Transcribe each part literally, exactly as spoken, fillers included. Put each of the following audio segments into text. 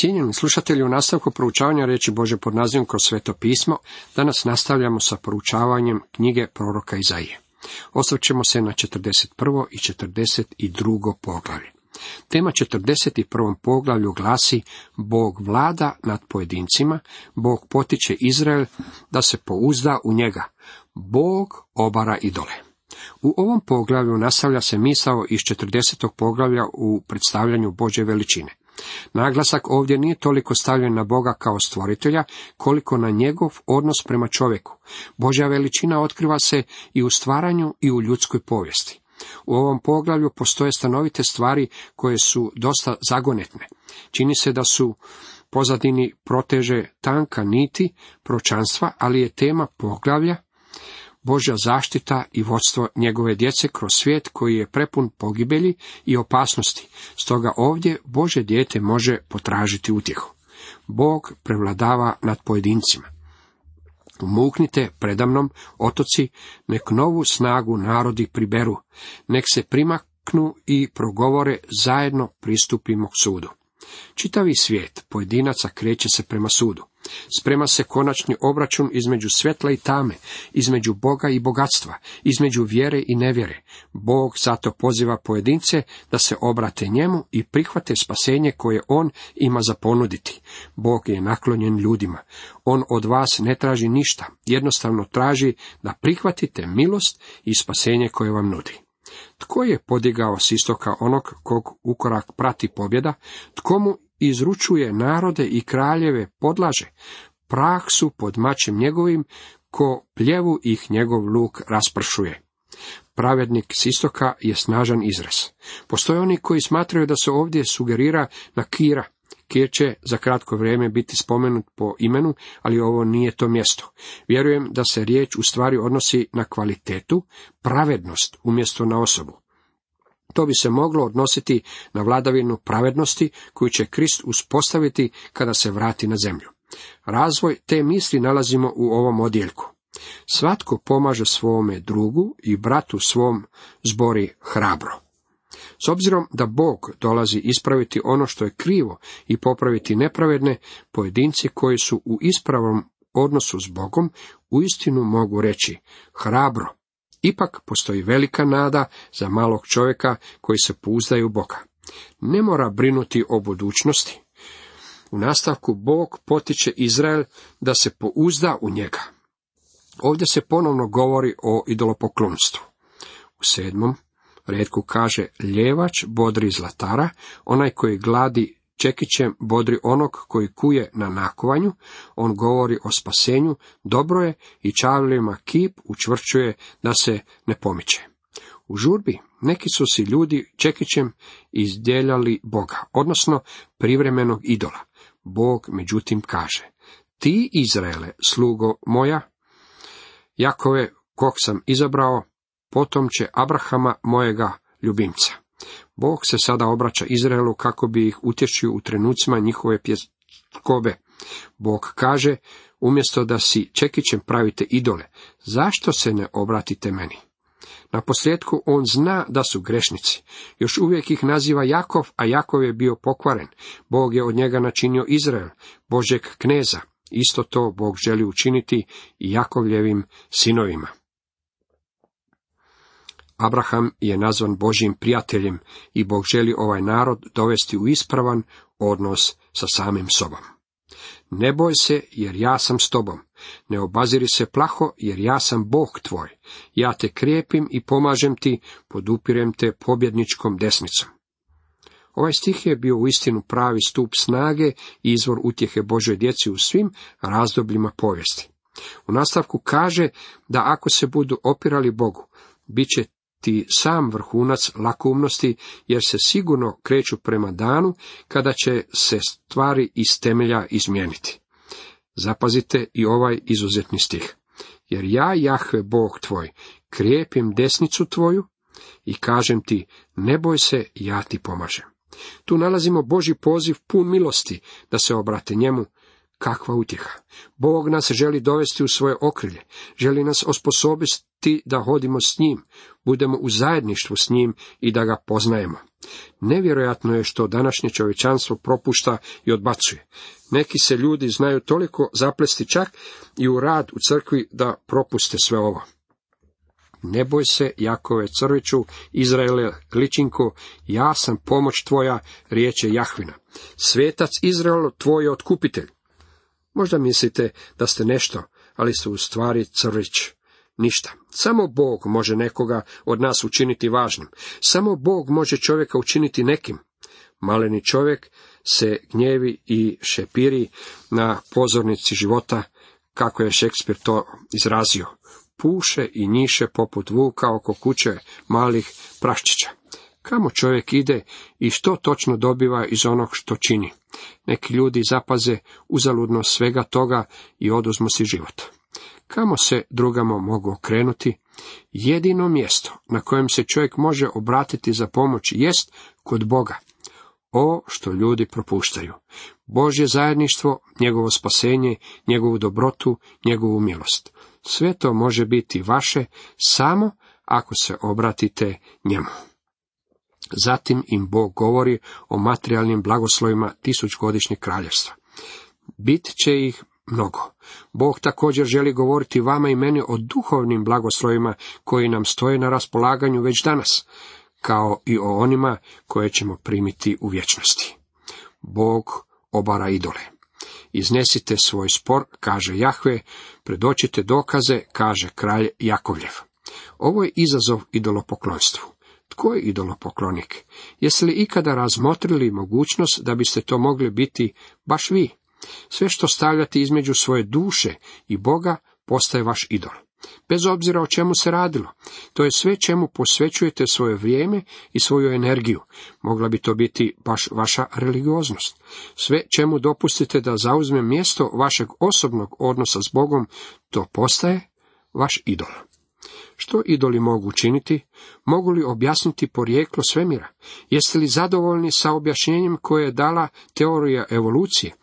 Cijenjeni slušatelji, u nastavku proučavanja riječi Božje pod nazivom Kroz sveto pismo, danas nastavljamo sa proučavanjem knjige proroka Izaije. Osvrćemo se na četrdeset prvo i četrdeset drugo poglavlje. Tema četrdeset prvom poglavlju glasi: Bog vlada nad pojedincima, Bog potiče Izrael da se pouzda u njega, Bog obara idole. U ovom poglavlju nastavlja se misao iz četrdesetog poglavlja u predstavljanju Božje veličine. Naglasak ovdje nije toliko stavljen na Boga kao stvoritelja, koliko na njegov odnos prema čovjeku. Božja veličina otkriva se i u stvaranju i u ljudskoj povijesti. U ovom poglavlju postoje stanovite stvari koje su dosta zagonetne. Čini se da su pozadini proteže tanka niti proročanstva, ali je tema poglavlja Božja zaštita i vodstvo njegove djece kroz svijet koji je prepun pogibelji i opasnosti. Stoga ovdje Božje dijete može potražiti utjehu. Bog prevladava nad pojedincima. Umuknite predamnom, otoci, nek novu snagu narodi priberu, nek se primaknu i progovore, zajedno pristupimo k sudu. Čitavi svijet pojedinaca kreće se prema sudu. Sprema se konačni obračun između svjetla i tame, između Boga i bogatstva, između vjere i nevjere. Bog zato poziva pojedince da se obrate njemu i prihvate spasenje koje on ima za ponuditi. Bog je naklonjen ljudima. On od vas ne traži ništa, jednostavno traži da prihvatite milost i spasenje koje vam nudi. Tko je podigao s istoka onog kog ukorak prati pobjeda? Tko mu izručuje narode i kraljeve podlaže? Prah su pod mačem njegovim, ko pljevu ih njegov luk raspršuje. Pravednik s istoka je snažan izraz. Postoje oni koji smatraju da se ovdje sugerira na Kira. Kir će za kratko vrijeme biti spomenut po imenu, ali ovo nije to mjesto. Vjerujem da se riječ u stvari odnosi na kvalitetu, pravednost umjesto na osobu. To bi se moglo odnositi na vladavinu pravednosti koju će Krist uspostaviti kada se vrati na zemlju. Razvoj te misli nalazimo u ovom odjeljku. Svatko pomaže svome drugu i bratu svom zbori hrabro. S obzirom da Bog dolazi ispraviti ono što je krivo i popraviti nepravedne, pojedinci koji su u ispravnom odnosu s Bogom uistinu mogu reći hrabro. Ipak postoji velika nada za malog čovjeka koji se pouzdaju u Boga. Ne mora brinuti o budućnosti. U nastavku Bog potiče Izrael da se pouzda u njega. Ovdje se ponovno govori o idolopoklonstvu. U sedmom retku kaže: ljevač bodri zlatara, onaj koji gladi čekićem bodri onog koji kuje na nakovanju. On govori o spasenju, dobro je i čavlima kip učvršćuje da se ne pomiče. U žurbi neki su si ljudi čekićem izdjeljali Boga, odnosno privremenog idola. Bog međutim kaže: ti Izraele, slugo moja, Jakove, kog sam izabrao, potomče Abrahama, mojega ljubimca. Bog se sada obraća Izraelu kako bi ih utješio u trenucima njihove pjeskobe. Bog kaže: umjesto da si čekićem pravite idole, zašto se ne obratite meni? Naposljetku on zna da su grešnici. Još uvijek ih naziva Jakov, a Jakov je bio pokvaren. Bog je od njega načinio Izrael, Božjeg kneza. Isto to Bog želi učiniti i Jakovljevim sinovima. Abraham je nazvan Božjim prijateljem i Bog želi ovaj narod dovesti u ispravan odnos sa samim sobom. Ne boj se, jer ja sam s tobom. Ne obaziri se plaho, jer ja sam Bog tvoj. Ja te krijepim i pomažem ti, podupirem te pobjedničkom desnicom. Ovaj stih je bio uistinu pravi stup snage i izvor utjehe Božoj djeci u svim razdobljima povijesti. U nastavku kaže da ako se budu opirali Bogu, bit će ti sam vrhunac lakoumnosti, jer se sigurno kreću prema danu kada će se stvari iz temelja izmijeniti. Zapazite i ovaj izuzetni stih. Jer ja, Jahve, Bog tvoj, krijepim desnicu tvoju i kažem ti, ne boj se, ja ti pomažem. Tu nalazimo Božji poziv pun milosti da se obrate njemu. Kakva utjeha! Bog nas želi dovesti u svoje okrilje, želi nas osposobiti da hodimo s njim, budemo u zajedništvu s njim i da ga poznajemo. Nevjerojatno je što današnje čovječanstvo propušta i odbacuje. Neki se ljudi znaju toliko zaplesti čak i u rad u crkvi da propuste sve ovo. Ne boj se, Jakove crviću, Izraele ličinko, ja sam pomoć tvoja, riječ je Jahvina. Svetac Izraelu, tvoj je otkupitelj. Možda mislite da ste nešto, ali ste u stvari crvić. Ništa. Samo Bog može nekoga od nas učiniti važnim. Samo Bog može čovjeka učiniti nekim. Maleni čovjek se gnjevi i šepiri na pozornici života, kako je Šekspir to izrazio. Puše i njiše poput vuka oko kuće malih praščića. Kamo čovjek ide i što točno dobiva iz onog što čini? Neki ljudi zapaze uzaludno svega toga i oduzmu si život. Kamo se drugamo mogu okrenuti? Jedino mjesto na kojem se čovjek može obratiti za pomoć jest kod Boga. O, što ljudi propuštaju! Božje zajedništvo, njegovo spasenje, njegovu dobrotu, njegovu milost. Sve to može biti vaše samo ako se obratite njemu. Zatim im Bog govori o materijalnim blagoslovima tisućgodišnjeg kraljevstva. Bit će ih mnogo. Bog također želi govoriti vama i meni o duhovnim blagoslovima koji nam stoje na raspolaganju već danas, kao i o onima koje ćemo primiti u vječnosti. Bog obara idole. Iznesite svoj spor, kaže Jahve, predočite dokaze, kaže kralj Jakovljev. Ovo je izazov idolopoklonstvu. Tko je idolopoklonik? Jeste li ikada razmotrili mogućnost da biste to mogli biti baš vi? Sve što stavljate između svoje duše i Boga postaje vaš idol. Bez obzira o čemu se radilo. To je sve čemu posvećujete svoje vrijeme i svoju energiju. Mogla bi to biti baš vaša religioznost. Sve čemu dopustite da zauzme mjesto vašeg osobnog odnosa s Bogom, to postaje vaš idol. Što idoli mogu učiniti? Mogu li objasniti porijeklo svemira? Jeste li zadovoljni sa objašnjenjem koje je dala teorija evolucije?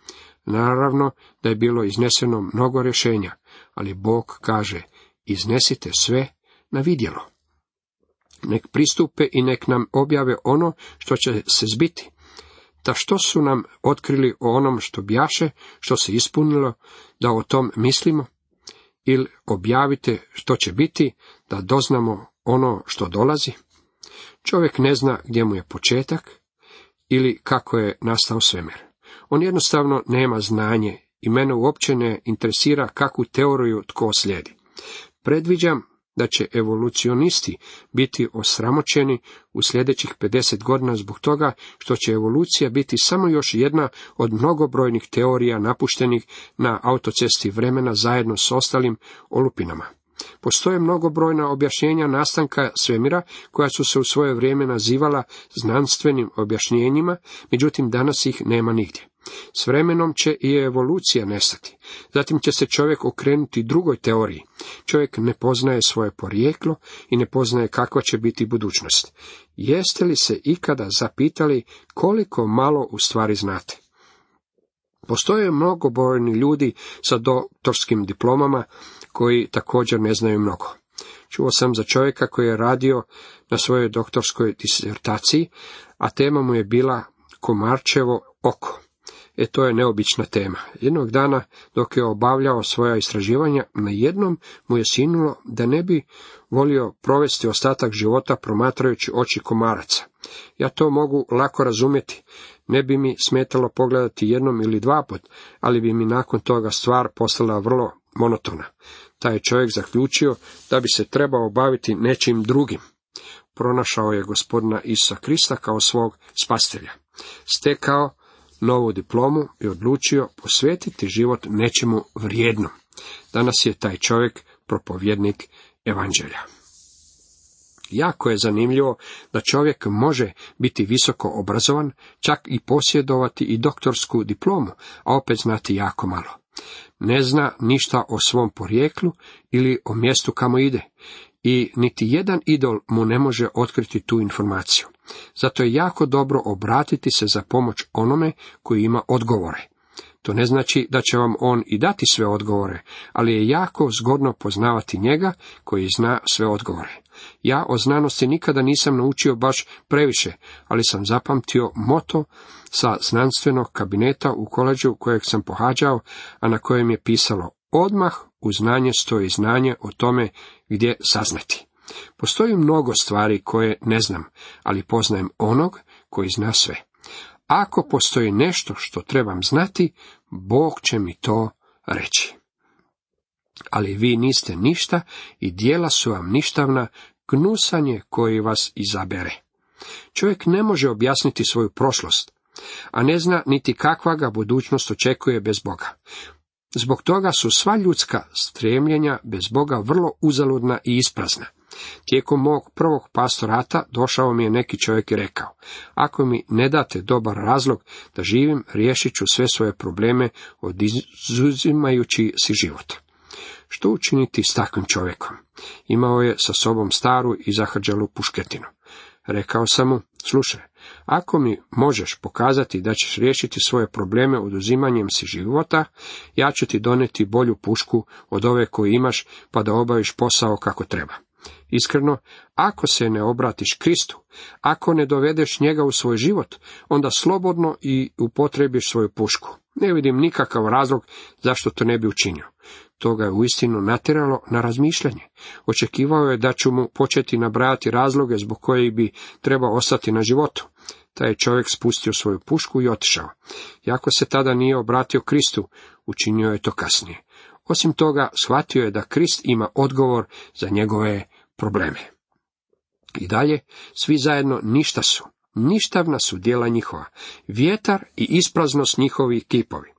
Naravno da je bilo izneseno mnogo rješenja, ali Bog kaže, iznesite sve na vidjelo. Nek pristupe i nek nam objave ono što će se zbiti. Da što su nam otkrili o onom što bjaše, što se ispunilo, da o tom mislimo? Ili objavite što će biti, da doznamo ono što dolazi? Čovjek ne zna gdje mu je početak ili kako je nastao svemir. On jednostavno nema znanje i mene uopće ne interesira kakvu teoriju tko slijedi. Predviđam da će evolucionisti biti osramoćeni u sljedećih pedeset godina zbog toga što će evolucija biti samo još jedna od mnogobrojnih teorija napuštenih na autocesti vremena zajedno s ostalim olupinama. Postoje mnogobrojna objašnjenja nastanka svemira koja su se u svoje vrijeme nazivala znanstvenim objašnjenjima, međutim danas ih nema nigdje. S vremenom će i evolucija nestati. Zatim će se čovjek okrenuti drugoj teoriji. Čovjek ne poznaje svoje porijeklo i ne poznaje kakva će biti budućnost. Jeste li se ikada zapitali koliko malo u stvari znate? Postoje mnogobrojni ljudi sa doktorskim diplomama koji također ne znaju mnogo. Čuo sam za čovjeka koji je radio na svojoj doktorskoj disertaciji, a tema mu je bila komarčevo oko. E, to je neobična tema. Jednog dana, dok je obavljao svoja istraživanja, na jednom mu je sinulo da ne bi volio provesti ostatak života promatrajući oči komaraca. Ja to mogu lako razumjeti. Ne bi mi smetalo pogledati jednom ili dva put, ali bi mi nakon toga stvar postala vrlo monotona. Taj je čovjek zaključio da bi se trebao baviti nečim drugim. Pronašao je gospodina Isusa Krista kao svog spasitelja. Stekao novu diplomu i odlučio posvetiti život nečemu vrijednom. Danas je taj čovjek propovjednik evanđelja. Jako je zanimljivo da čovjek može biti visoko obrazovan, čak i posjedovati i doktorsku diplomu, a opet znati jako malo. Ne zna ništa o svom porijeklu ili o mjestu kamo ide. I niti jedan idol mu ne može otkriti tu informaciju. Zato je jako dobro obratiti se za pomoć onome koji ima odgovore. To ne znači da će vam on i dati sve odgovore, ali je jako zgodno poznavati njega koji zna sve odgovore. Ja o znanosti nikada nisam naučio baš previše, ali sam zapamtio moto sa znanstvenog kabineta u koleđu kojeg sam pohađao, a na kojem je pisalo: odmah u znanje stoji znanje o tome gdje saznati. Postoji mnogo stvari koje ne znam, ali poznajem onog koji zna sve. Ako postoji nešto što trebam znati, Bog će mi to reći. Ali vi niste ništa i djela su vam ništavna, gnusanje koji vas izabere. Čovjek ne može objasniti svoju prošlost, a ne zna niti kakva ga budućnost očekuje bez Boga. Zbog toga su sva ljudska stremljenja bez Boga vrlo uzaludna i isprazna. Tijekom mog prvog pastorata došao mi je neki čovjek i rekao: ako mi ne date dobar razlog da živim, riješit ću sve svoje probleme, oduzimajući si život. Što učiniti s takvim čovjekom? Imao je sa sobom staru i zahrđalu pušketinu. Rekao sam mu: slušaj, ako mi možeš pokazati da ćeš riješiti svoje probleme oduzimanjem si života, ja ću ti donijeti bolju pušku od ove koju imaš, pa da obaviš posao kako treba. Iskreno, ako se ne obratiš Kristu, ako ne dovedeš njega u svoj život, onda slobodno i upotrebiš svoju pušku. Ne vidim nikakav razlog zašto to ne bi učinio. To ga je uistinu natjeralo na razmišljanje. Očekivao je da ću mu početi nabrajati razloge zbog kojih bi trebao ostati na životu. Taj je čovjek spustio svoju pušku i otišao. Iako se tada nije obratio Kristu, učinio je to kasnije. Osim toga, shvatio je da Krist ima odgovor za njegove probleme. I dalje, svi zajedno ništa su. Ništavna su djela njihova, vjetar i ispraznost njihovi kipovi.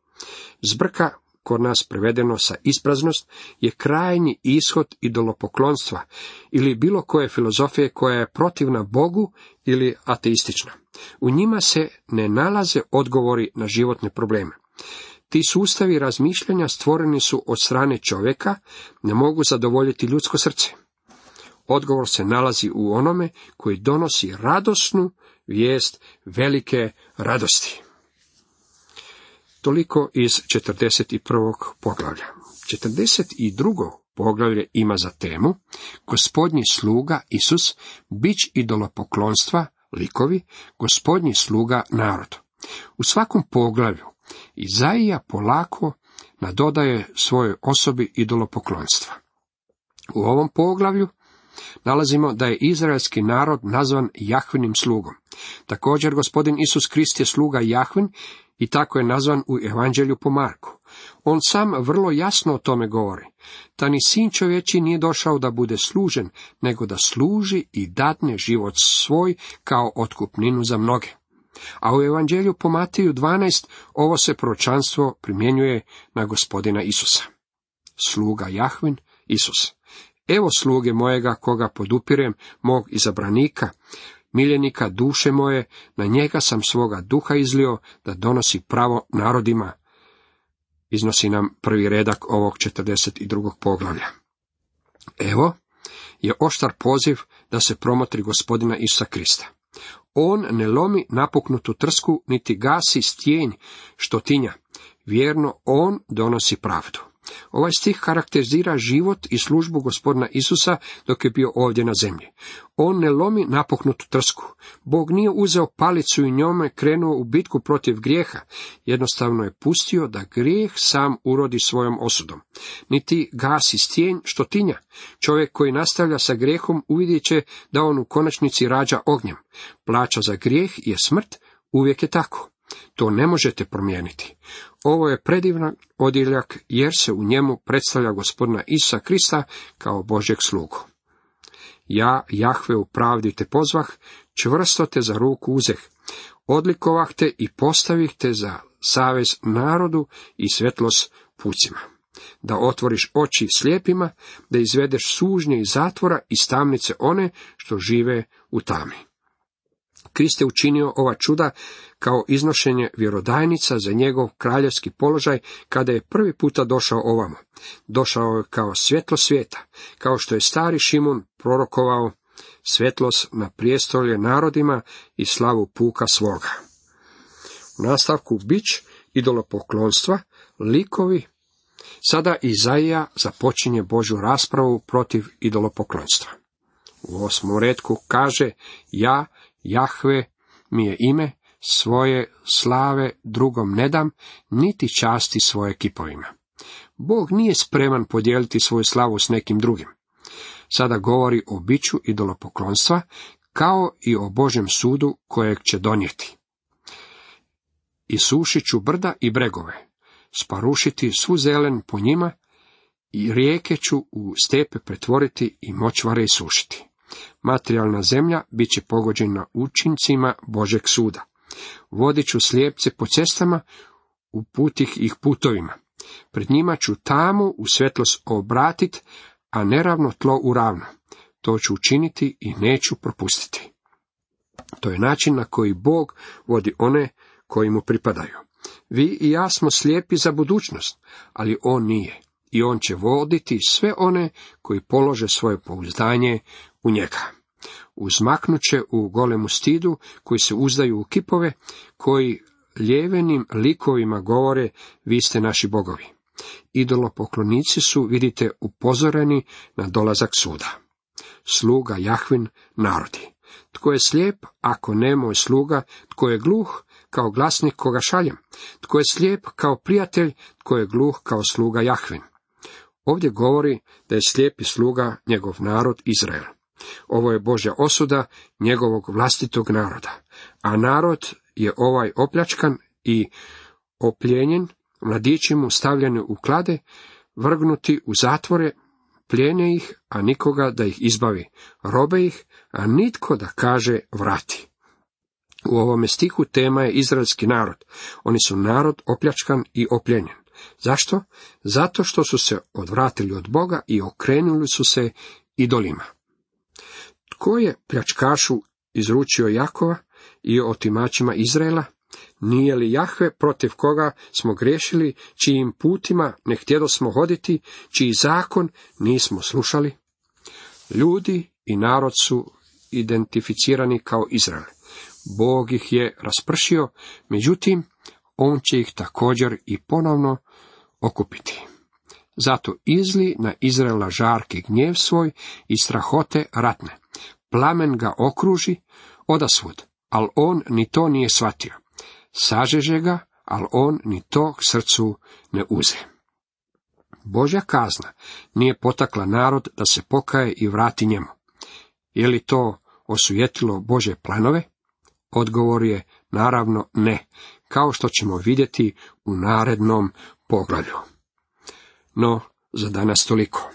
Zbrka, kod nas prevedeno sa ispraznost, je krajnji ishod idolopoklonstva ili bilo koje filozofije koja je protivna Bogu ili ateistična. U njima se ne nalaze odgovori na životne probleme. Ti sustavi razmišljanja stvoreni su od strane čovjeka, ne mogu zadovoljiti ljudsko srce. Odgovor se nalazi u onome koji donosi radosnu vijest velike radosti. Toliko iz četrdeset prvog poglavlja. četrdeset drugo poglavlje ima za temu Gospodnji sluga Isus, bić idolopoklonstva, likovi, Gospodnji sluga narod. U svakom poglavlju Izaija polako nadodaje svojoj osobi idolopoklonstva. U ovom poglavlju nalazimo da je izraelski narod nazvan Jahvinim slugom. Također gospodin Isus Krist je sluga Jahvin i tako je nazvan u Evanđelju po Marku. On sam vrlo jasno o tome govori. Ta ni sin čovječi nije došao da bude služen, nego da služi i dadne život svoj kao otkupninu za mnoge. A u Evanđelju po Mateju dvanaest ovo se proročanstvo primjenjuje na gospodina Isusa. Sluga Jahvin, Isus. Evo sluge mojega koga podupirem, mog izabranika, miljenika duše moje, na njega sam svoga duha izlio da donosi pravo narodima. Iznosi nam prvi redak ovog četrdeset drugog poglavlja. Evo je oštar poziv da se promotri gospodina Isusa Krista. On ne lomi napuknutu trsku, niti gasi stjenj što tinja. Vjerno on donosi pravdu. Ovaj stih karakterizira život i službu gospodina Isusa dok je bio ovdje na zemlji. On ne lomi napuknutu trsku. Bog nije uzeo palicu i njome krenuo u bitku protiv grijeha. Jednostavno je pustio da grijeh sam urodi svojom osudom. Niti gasi stjenj što tinja. Čovjek koji nastavlja sa grijehom uvidjet će da on u konačnici rađa ognjem. Plaća za grijeh je smrt, uvijek je tako. To ne možete promijeniti. Ovo je predivan odjeljak jer se u njemu predstavlja gospodina Isusa Krista kao Božjeg slugu. Ja, Jahve, u pravdi te pozvah, čvrsto te za ruku uzeh, odlikovah te i postavih te za savez narodu i svjetlost pucima. Da otvoriš oči slijepima, da izvedeš sužnje iz zatvora i tamnice one što žive u tami. Krist je učinio ova čuda kao iznošenje vjerodajnica za njegov kraljevski položaj kada je prvi puta došao ovamo. Došao je kao svjetlo svijeta, kao što je stari Šimun prorokovao svjetlost na prijestolje narodima i slavu puka svoga. U nastavku bić idolopoklonstva, likovi, sada Izaija započinje Božju raspravu protiv idolopoklonstva. U osmom retku kaže, ja, Jahve mi je ime, svoje slave drugom ne dam, niti časti svoje kipovima. Bog nije spreman podijeliti svoju slavu s nekim drugim. Sada govori o biću idolopoklonstva, kao i o Božjem sudu kojeg će donijeti. Isušit ću brda i bregove, sparušiti svu zelen po njima, i rijeke ću u stepe pretvoriti i močvare isušiti. Materijalna zemlja bit će pogođena učincima Božeg suda. Vodit ću slijepce po cestama, uputih ih putovima. Pred njima ću tamu u svjetlost obratit, a neravno tlo u ravno. To ću učiniti i neću propustiti. To je način na koji Bog vodi one koji mu pripadaju. Vi i ja smo slijepi za budućnost, ali on nije. I on će voditi sve one koji polože svoje pouzdanje u njega. Uzmaknut će u golemu stidu, koji se uzdaju u kipove, koji ljevenim likovima govore, vi ste naši bogovi. Idolopoklonici su, vidite, upozoreni na dolazak suda. Sluga Jahvin narodi. Tko je slijep, ako ne moj sluga, tko je gluh, kao glasnik koga šaljem, tko je slijep kao prijatelj, tko je gluh kao sluga Jahvin. Ovdje govori da je slijepi sluga njegov narod Izrael. Ovo je Božja osuda njegovog vlastitog naroda, a narod je ovaj opljačkan i opljenjen, mladići mu stavljeni u klade, vrgnuti u zatvore, plijene ih, a nikoga da ih izbavi, robe ih, a nitko da kaže vrati. U ovome stihu tema je izraelski narod. Oni su narod opljačkan i opljenjen. Zašto? Zato što su se odvratili od Boga i okrenuli su se idolima. Tko je pljačkašu izručio Jakova i otimačima Izraela? Nije li Jahve, protiv koga smo griješili, čijim putima ne htjedosmo hoditi, čiji zakon nismo slušali? Ljudi i narod su identificirani kao Izrael. Bog ih je raspršio, međutim, on će ih također i ponovno okupiti. Zato izli na Izraela žarki gnjev svoj i strahote ratne. Plamen ga okruži odasvud, ali on ni to nije shvatio. Sažeže ga, ali on ni to k srcu ne uze. Božja kazna nije potakla narod da se pokaje i vrati njemu. Je li to osujetilo Božje planove? Odgovor je naravno ne, kao što ćemo vidjeti u narednom poglavlju. No, za danas toliko.